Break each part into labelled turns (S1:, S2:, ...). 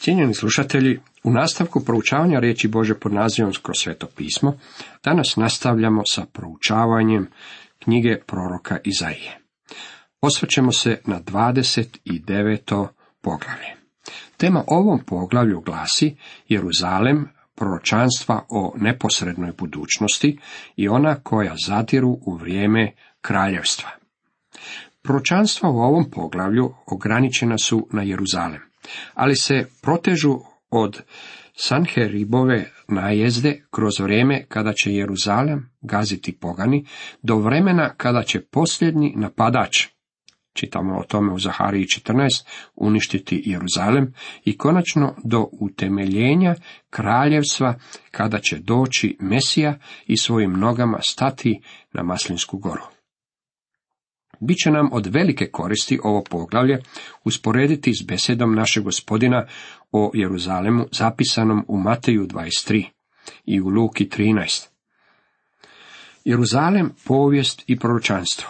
S1: Cijenjeni slušatelji, u nastavku proučavanja riječi Bože pod nazivom Kroz sveto pismo, danas nastavljamo sa proučavanjem knjige proroka Izaije. Osvrćemo se na 29. poglavlje. Tema ovom poglavlju glasi Jeruzalem, proročanstva o neposrednoj budućnosti i ona koja zadiru u vrijeme kraljevstva. Proročanstva u ovom poglavlju ograničena su na Jeruzalem, ali se protežu od Sanheribove najezde kroz vrijeme kada će Jeruzalem gaziti pogani, do vremena kada će posljednji napadač, čitamo o tome u Zahariji 14, uništiti Jeruzalem, i konačno do utemeljenja kraljevstva kada će doći Mesija i svojim nogama stati na Maslinsku goru. Biće nam od velike koristi ovo poglavlje usporediti s besedom našeg Gospodina o Jeruzalemu zapisanom u Mateju 23 i u Luki 13. Jeruzalem, povijest i proročanstvo.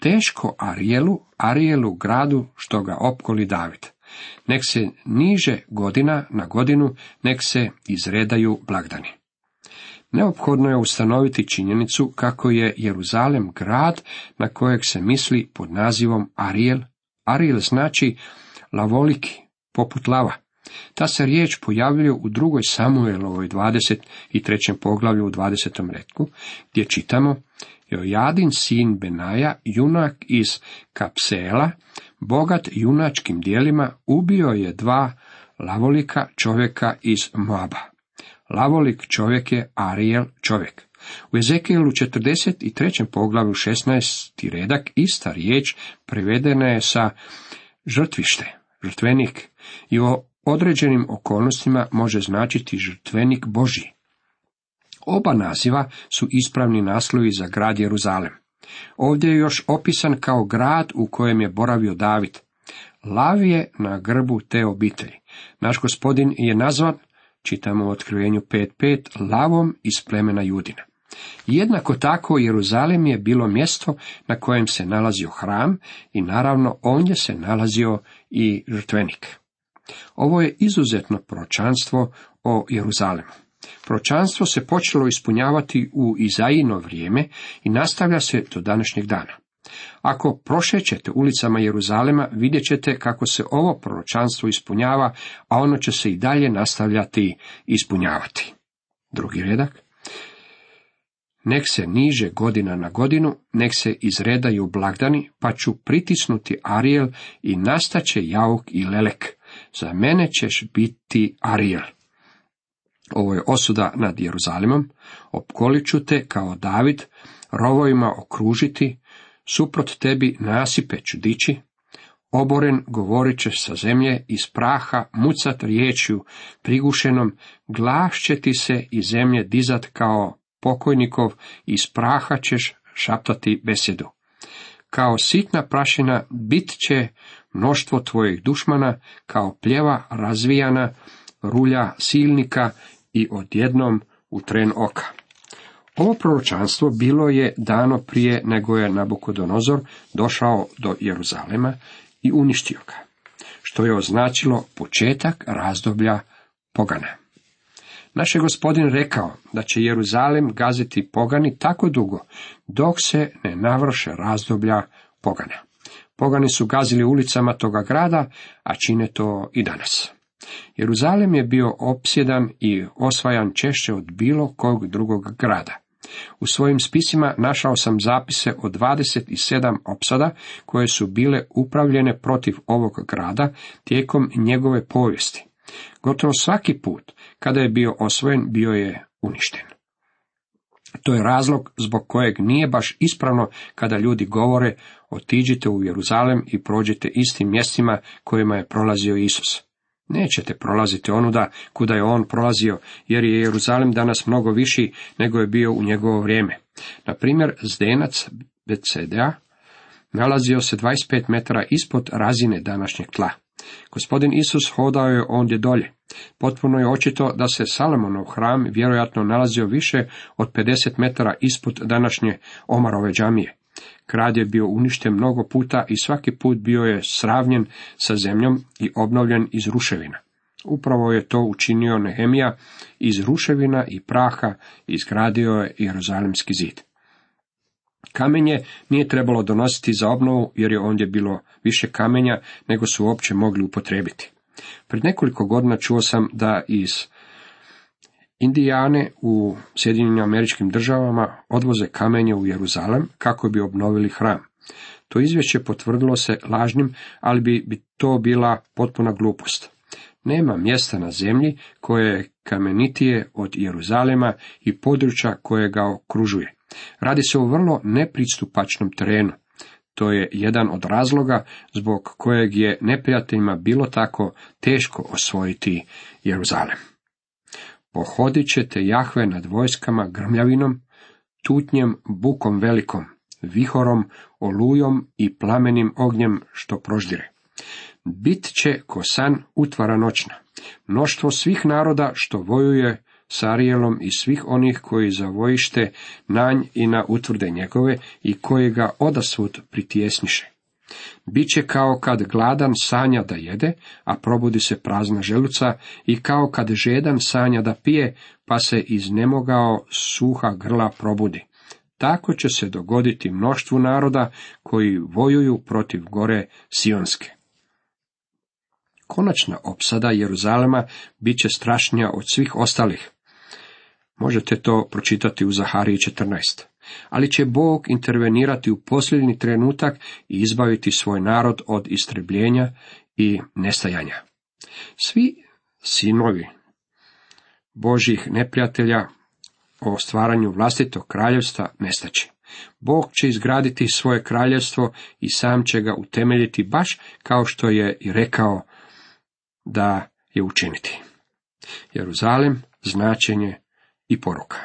S1: Teško Arijelu gradu što ga opkoli David. Nek se niže godina na godinu, nek se izredaju blagdani. Neophodno je ustanoviti činjenicu kako je Jeruzalem grad na kojeg se misli pod nazivom Arijel. Arijel znači lavoliki, poput lava. Ta se riječ pojavljuje u 2. Samuelovoj 23. poglavlju u 20. retku, gdje čitamo: Jojadin sin Benaja, junak iz Kapseela, bogat junačkim dijelima, ubio je 2 lavolika čovjeka iz Moaba. Lavolik čovjek je Arijel čovjek. U Ezekijelu 43. poglavlju 16. redak ista riječ prevedena je sa žrtvište, žrtvenik, i u određenim okolnostima može značiti žrtvenik Božji. Oba naziva su ispravni naslovi za grad Jeruzalem. Ovdje je još opisan kao grad u kojem je boravio David. Lav je na grbu te obitelji. Naš Gospodin je nazvan, čitamo u Otkrivenju 5.5, lavom iz plemena Judina. Jednako tako Jeruzalem je bilo mjesto na kojem se nalazio hram i naravno ondje se nalazio i žrtvenik. Ovo je izuzetno proročanstvo o Jeruzalemu. Proročanstvo se počelo ispunjavati u Izajino vrijeme i nastavlja se do današnjeg dana. Ako prošećete ulicama Jeruzalema, vidjet ćete kako se ovo proročanstvo ispunjava, a ono će se i dalje nastavljati ispunjavati. 2. redak. Nek se niže godina na godinu, nek se izredaju blagdani, pa ću pritisnuti Arijel i nastaće jauk i lelek. Za mene ćeš biti Arijel. Ovo je osuda nad Jeruzalemom. Opkolit ću te kao David, rovovima okružiti, suprot tebi nasipe ću dići, oboren govorit ćeš sa zemlje, iz praha mucat riječju prigušenom, glas će ti se iz zemlje dizat kao pokojnikov, iz praha ćeš šaptati besjedu. Kao sitna prašina bit će mnoštvo tvojih dušmana, kao pljeva razvijana rulja silnika i odjednom u tren oka. Ovo proročanstvo bilo je dano prije nego je Nabukodonozor došao do Jeruzalema i uništio ga, što je označilo početak razdoblja pogana. Naš je Gospodin rekao da će Jeruzalem gaziti pogani tako dugo, dok se ne navrše razdoblja pogana. Pogani su gazili ulicama toga grada, a čine to i danas. Jeruzalem je bio opsjedan i osvajan češće od bilo kog drugog grada. U svojim spisima našao sam zapise o 27 opsada koje su bile upravljene protiv ovog grada tijekom njegove povijesti. Gotovo svaki put kada je bio osvojen, bio je uništen. To je razlog zbog kojeg nije baš ispravno kada ljudi govore: otiđite u Jeruzalem i prođite istim mjestima kojima je prolazio Isus. Nećete prolaziti onuda kuda je on prolazio, jer je Jeruzalem danas mnogo viši nego je bio u njegovo vrijeme. Na primjer, zdenac Betsedea nalazio se 25 metara ispod razine današnjeg tla. Gospodin Isus hodao je ondje dolje. Potpuno je očito da se Salomonov hram vjerojatno nalazio više od 50 metara ispod današnje Omarove džamije. Grad je bio uništen mnogo puta i svaki put bio je sravnjen sa zemljom i obnovljen iz ruševina. Upravo je to učinio Nehemija, iz ruševina i praha izgradio je Jeruzalemski zid. Kamenje nije trebalo donositi za obnovu, jer je ondje bilo više kamenja nego su uopće mogli upotrijebiti. Pred nekoliko godina čuo sam da iz Indijane u Sjedinjenim Američkim Državama odvoze kamenje u Jeruzalem kako bi obnovili hram. To izvješće potvrdilo se lažnim, ali bi to bila potpuna glupost. Nema mjesta na zemlji koje je kamenitije od Jeruzalema i područja koje ga okružuje. Radi se o vrlo nepristupačnom terenu. To je jedan od razloga zbog kojeg je neprijateljima bilo tako teško osvojiti Jeruzalem. Pohodit ćete Jahve nad vojskama grmljavinom, tutnjem, bukom velikom, vihorom, olujom i plamenim ognjem što proždire. Bit će ko san utvara noćna, mnoštvo svih naroda što vojuje s Arijelom i svih onih koji zavojište nanj i na utvrde njegove i koji ga odasvud pritjesniše. Biće kao kad gladan sanja da jede, a probudi se prazna želuca, i kao kad žedan sanja da pije, pa se iznemogao suha grla probudi. Tako će se dogoditi mnoštvu naroda koji vojuju protiv gore Sionske. Konačna opsada Jeruzalema bit će strašnija od svih ostalih. Možete to pročitati u Zahariji 14. Ali će Bog intervenirati u posljednji trenutak i izbaviti svoj narod od istrebljenja i nestajanja. Svi sinovi Božjih neprijatelja o stvaranju vlastitog kraljevstva nestaće. Bog će izgraditi svoje kraljevstvo i sam će ga utemeljiti baš kao što je i rekao da je učiniti. Jeruzalem, značenje i poruka.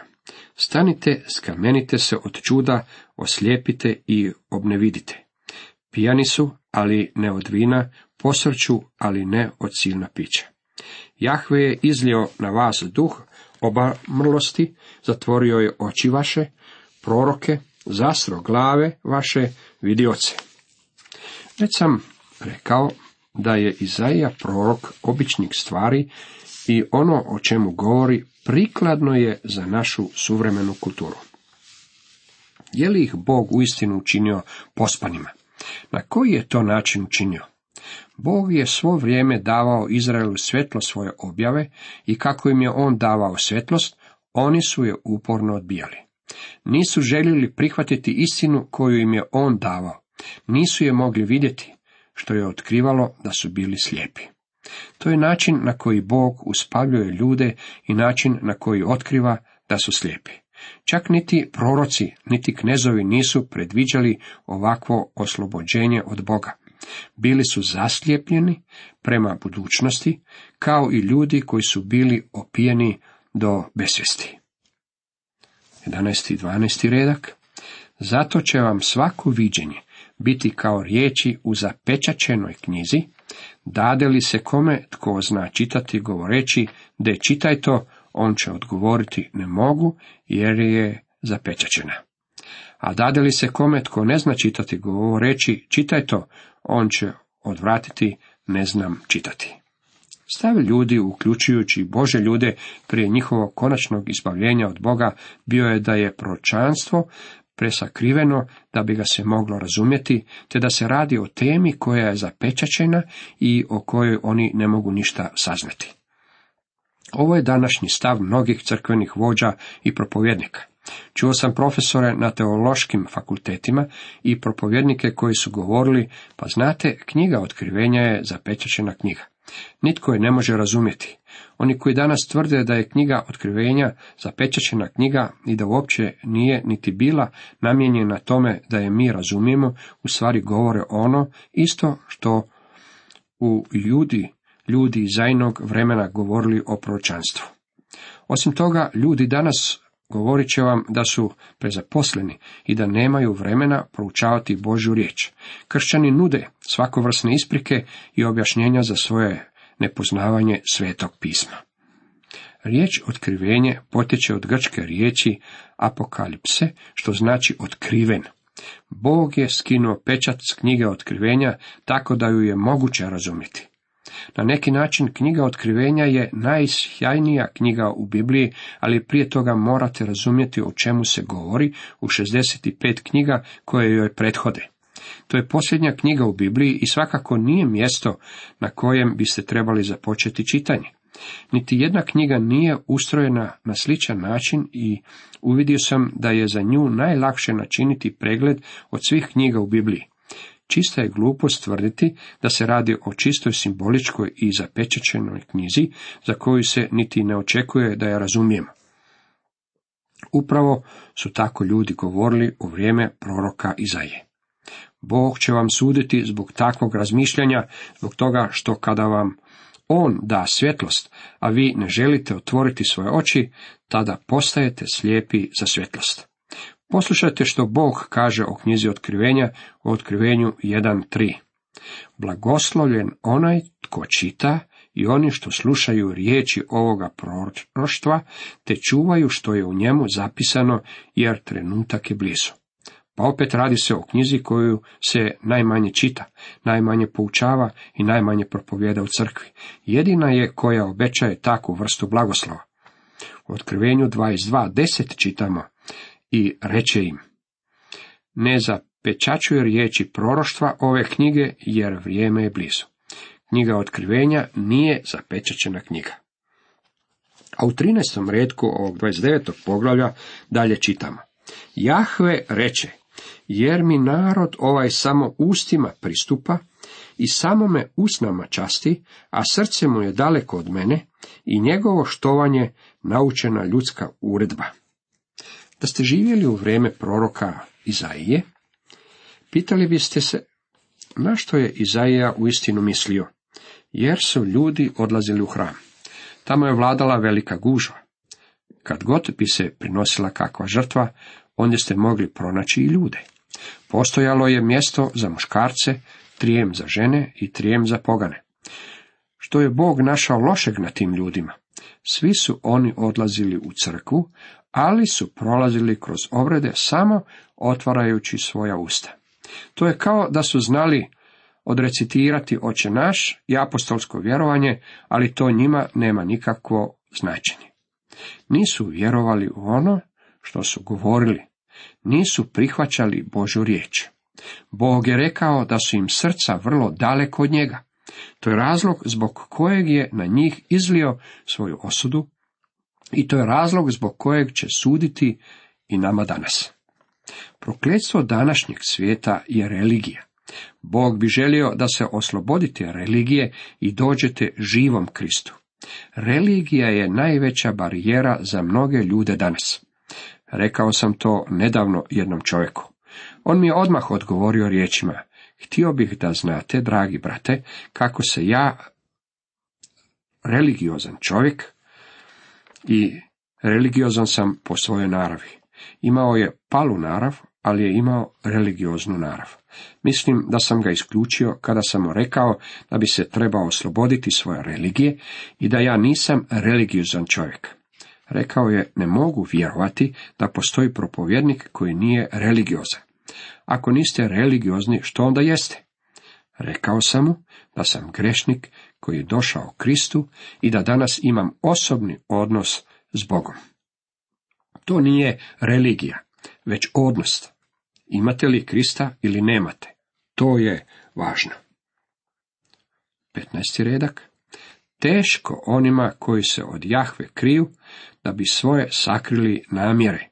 S1: Stanite, skamenite se od čuda, oslijepite i obnevidite. Pijani su, ali ne od vina, posrću, ali ne od silna pića. Jahve je izlio na vas duh obamrlosti, zatvorio je oči vaše, proroke, zastro glave vaše vidioce. Već sam rekao da je Izaija prorok običnih stvari i ono o čemu govori prikladno je za našu suvremenu kulturu. Je li ih Bog uistinu učinio pospanima? Na koji je to način učinio? Bog je svo vrijeme davao Izraelu svjetlo svoje objave i kako im je on davao svjetlost, oni su je uporno odbijali. Nisu željeli prihvatiti istinu koju im je on davao. Nisu je mogli vidjeti, što je otkrivalo da su bili slijepi. To je način na koji Bog uspavljuje ljude i način na koji otkriva da su slijepi. Čak niti proroci, niti knezovi nisu predviđali ovakvo oslobođenje od Boga. Bili su zaslijepljeni prema budućnosti, kao i ljudi koji su bili opijeni do besvijesti. 11. i 12. redak. Zato će vam svako viđenje biti kao riječi u zapečaćenoj knjizi, dade li se kome tko zna čitati govoreći, de čitaj to, on će odgovoriti ne mogu, jer je zapečaćena. A dade li se kome tko ne zna čitati govoreći, čitaj to, on će odvratiti ne znam čitati. Stav ljudi, uključujući Bože ljude, prije njihovog konačnog izbavljenja od Boga, bio je da je proročanstvo presakriveno da bi ga se moglo razumjeti, te da se radi o temi koja je zapečaćena i o kojoj oni ne mogu ništa saznati. Ovo je današnji stav mnogih crkvenih vođa i propovjednika. Čuo sam profesore na teološkim fakultetima i propovjednike koji su govorili, pa znate, knjiga Otkrivenja je zapečaćena knjiga. Nitko je ne može razumjeti. Oni koji danas tvrde da je knjiga Otkrivenja zapečaćena knjiga i da uopće nije niti bila namijenjena tome da je mi razumijemo, u stvari govore ono isto što u ljudi iz Zainog vremena govorili o proročanstvu. Osim toga, ljudi danas govorit će vam da su prezaposleni i da nemaju vremena proučavati Božju riječ. Kršćani nude svakovrsne isprike i objašnjenja za svoje nepoznavanje Svetog pisma. Riječ otkrivenje potječe od grčke riječi apokalipse, što znači otkriven. Bog je skinuo pečat s knjige Otkrivenja tako da ju je moguće razumjeti. Na neki način knjiga Otkrivenja je najsjajnija knjiga u Bibliji, ali prije toga morate razumjeti o čemu se govori u 65 knjiga koje joj prethode. To je posljednja knjiga u Bibliji i svakako nije mjesto na kojem biste trebali započeti čitanje. Niti jedna knjiga nije ustrojena na sličan način i uvidio sam da je za nju najlakše načiniti pregled od svih knjiga u Bibliji. Čista je glupost tvrditi da se radi o čistoj simboličkoj i zapečaćenoj knjizi za koju se niti ne očekuje da je razumijemo. Upravo su tako ljudi govorili u vrijeme proroka Izaije. Bog će vam suditi zbog takvog razmišljanja, zbog toga što kada vam On da svjetlost, a vi ne želite otvoriti svoje oči, tada postajete slijepi za svjetlost. Poslušajte što Bog kaže o knjizi Otkrivenja u Otkrivenju 1.3. Blagoslovljen onaj tko čita i oni što slušaju riječi ovoga proroštva, te čuvaju što je u njemu zapisano, jer trenutak je blizu. Pa opet radi se o knjizi koju se najmanje čita, najmanje poučava i najmanje propovijeda u crkvi. Jedina je koja obećaje takvu vrstu blagoslova. U Otkrivenju 22.10 čitamo: i reče im: ne zapečaćuj riječi proroštva ove knjige, jer vrijeme je blizu. Knjiga Otkrivenja nije zapečaćena knjiga. A u 13. retku ovog 29. poglavlja dalje čitamo: Jahve reče, jer mi narod ovaj samo ustima pristupa i samo me usnama časti, a srce mu je daleko od mene i njegovo štovanje naučena ljudska uredba. Da ste živjeli u vrijeme proroka Izaije, pitali biste se na što je Izaija uistinu mislio, jer su ljudi odlazili u hram. Tamo je vladala velika gužva. Kad god bi se prinosila kakva žrtva, ondje ste mogli pronaći i ljude. Postojalo je mjesto za muškarce, trijem za žene i trijem za pogane. Što je Bog našao lošeg na tim ljudima? Svi su oni odlazili u crkvu, ali su prolazili kroz obrede samo otvarajući svoja usta. To je kao da su znali odrecitirati Oče naš i apostolsko vjerovanje, ali to njima nema nikakvo značenje. Nisu vjerovali u ono što su govorili, nisu prihvaćali Božju riječ. Bog je rekao da su im srca vrlo daleko od njega. To je razlog zbog kojeg je na njih izlio svoju osudu i to je razlog zbog kojeg će suditi i nama danas. Prokletstvo današnjeg svijeta je religija. Bog bi želio da se oslobodite religije i dođete živom Kristu. Religija je najveća barijera za mnoge ljude danas. Rekao sam to nedavno jednom čovjeku. On mi je odmah odgovorio riječima: htio bih da znate, dragi brate, kako se ja, religiozan čovjek, i religiozan sam po svojoj naravi. Imao je palu narav, ali je imao religioznu narav. Mislim da sam ga isključio kada sam mu rekao da bi se trebao osloboditi svoje religije i da ja nisam religiozan čovjek. Rekao je: ne mogu vjerovati da postoji propovjednik koji nije religiozan. Ako niste religiozni, što onda jeste? Rekao sam mu da sam grešnik koji je došao Kristu i da danas imam osobni odnos s Bogom. To nije religija, već odnos. Imate li Krista ili nemate? To je važno. 15. redak. Teško onima koji se od Jahve kriju, da bi svoje sakrili namjere,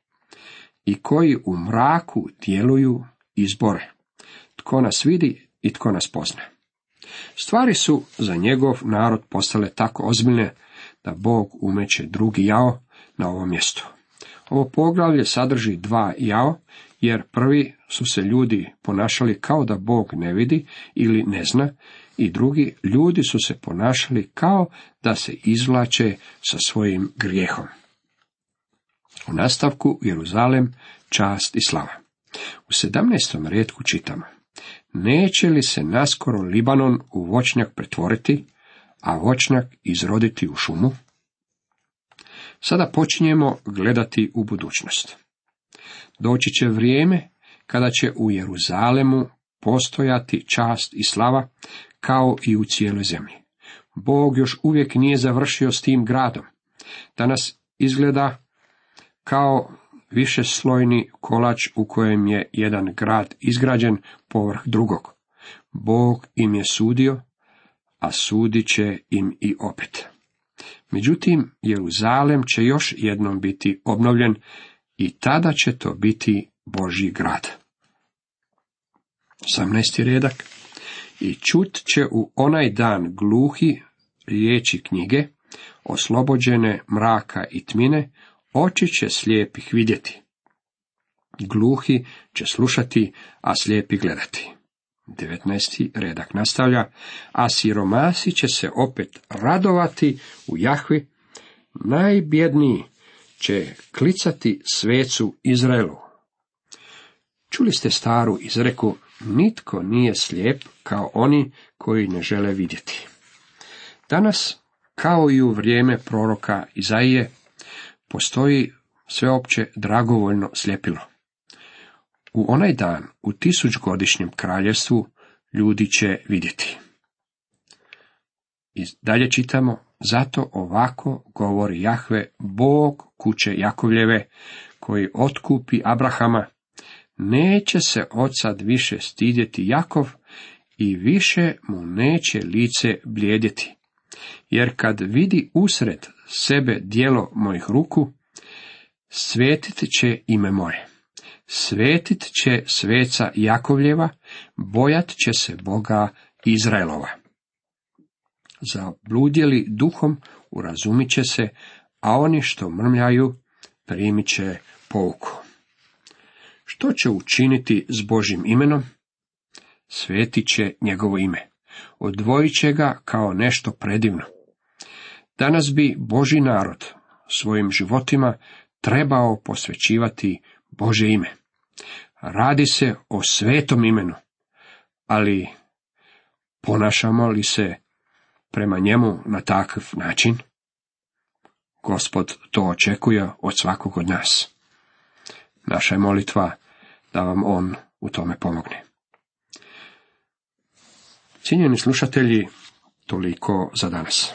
S1: i koji u mraku djeluju izbore. Tko nas vidi i tko nas pozna. Stvari su za njegov narod postale tako ozbiljne da Bog umeće drugi jao na ovom mjestu. Ovo poglavlje sadrži dva jao, jer prvi su se ljudi ponašali kao da Bog ne vidi ili ne zna, i drugi, ljudi su se ponašali kao da se izvlače sa svojim grijehom. U nastavku Jeruzalem, čast i slava. U 17. retku čitamo: neće li se naskoro Libanon u voćnjak pretvoriti, a voćnjak izroditi u šumu? Sada počinjemo gledati u budućnost. Doći će vrijeme kada će u Jeruzalemu postojati čast i slava kao i u cijeloj zemlji. Bog još uvijek nije završio s tim gradom. Danas izgleda kao višeslojni kolač u kojem je jedan grad izgrađen povrh drugog. Bog im je sudio, a sudit će im i opet. Međutim, Jeruzalem će još jednom biti obnovljen i tada će to biti Božji grad. 18. redak. I čut će u onaj dan gluhi riječi knjige, oslobođene mraka i tmine, oči će slijepih vidjeti. Gluhi će slušati, a slijepi gledati. 19. redak nastavlja, a siromasi će se opet radovati u Jahvi, najbjedniji će klicati svecu Izraelu. Čuli ste staru izreku, nitko nije slijep kao oni koji ne žele vidjeti. Danas, kao i u vrijeme proroka Izaije, postoji sveopće dragovoljno sljepilo. U onaj dan, u 1000-godišnjem kraljevstvu, ljudi će vidjeti. I dalje čitamo, zato ovako govori Jahve, Bog kuće Jakovljeve, koji otkupi Abrahama, neće se odsad više stidjeti Jakov i više mu neće lice bljedjeti. Jer kad vidi usred sebe djelo mojih ruku, svetit će ime moje. Svetit će sveca Jakovljeva, bojat će se Boga Izraelova. Zabludjeli duhom urazumit će se, a oni što mrmljaju primit će pouku. Što će učiniti s Božjim imenom? Svetit će njegovo ime. Odvojit će ga kao nešto predivno. Danas bi Božji narod svojim životima trebao posvećivati Božje ime. Radi se o svetom imenu, ali ponašamo li se prema njemu na takav način? Gospod to očekuje od svakog od nas. Naša je molitva da vam on u tome pomogne. Cijenjeni slušatelji, toliko za danas.